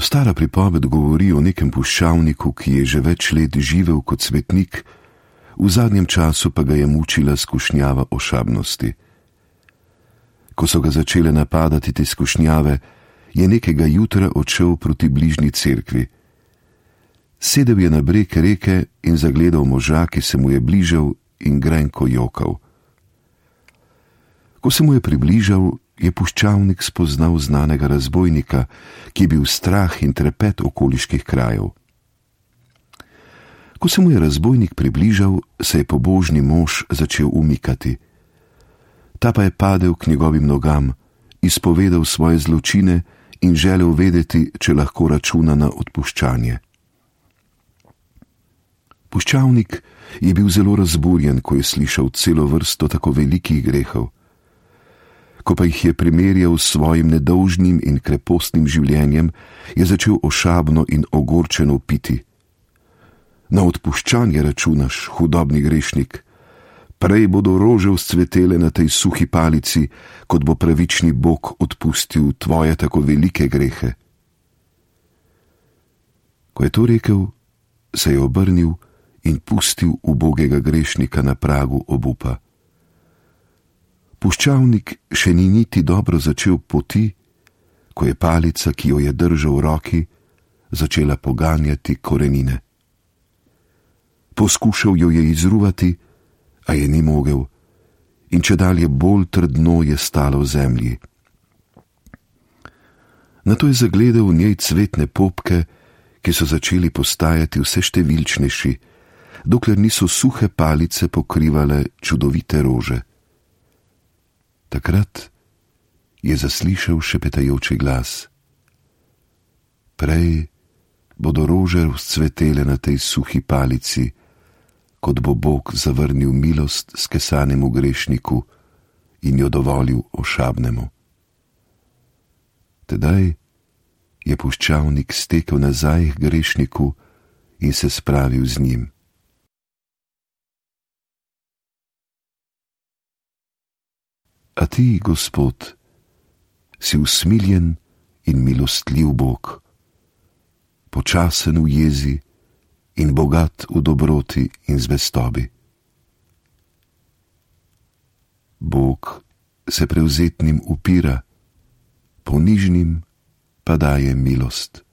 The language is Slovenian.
Stara pripoved govori o nekem puščavniku, ki je že več let živel kot svetnik, v zadnjem času pa ga je mučila skušnjava ošabnosti. Ko so ga začele napadati te skušnjave, je nekega jutra odšel proti bližnji cerkvi. Sedel je na breg reke in zagledal moža, ki se mu je bližal in grenko jokal. Ko se mu je približal, je puščavnik spoznal znanega razbojnika, ki je bil strah in trepet okoliških krajev. Ko se mu je razbojnik približal, se je pobožni mož začel umikati. Ta pa je padel k njegovim nogam, izpovedal svoje zločine in želel vedeti, če lahko računa na odpuščanje. Puščavnik je bil zelo razburjen, ko je slišal celo vrsto tako velikih grehov. Ko pa jih je primerjal s svojim nedolžnim in krepostnim življenjem, je začel ošabno in ogorčeno piti. Na odpuščanje računaš, hudobni grešnik. Prej bodo rože vzcvetele na tej suhi palici, kot bo pravični Bog odpustil tvoje tako velike grehe. Ko je to rekel, se je obrnil in pustil ubogega grešnika na pragu obupa. Puščavnik še ni niti dobro začel poti, ko je palica, ki jo je držal v roki, začela poganjati korenine. Poskušal jo je izruvati, a je ni mogel, in čedalje bolj trdno je stalo v zemlji. Nato je zagledal v njej cvetne popke, ki so začeli postajati vse številčnejši, dokler niso suhe palice pokrivale čudovite rože. Takrat je zaslišal šepetajoči glas. Prej bodo rože vzcvetele na tej suhi palici, kot bo Bog zavrnil milost skesanemu grešniku in jo dovolil ošabnemu. Tedaj je puščavnik stekel nazaj k grešniku in se spravil z njim. A ti, Gospod, si usmiljen in milostljiv Bog, počasen v jezi in bogat v dobroti in zvestobi. Bog se prevzetnim upira, ponižnim pa daje milost.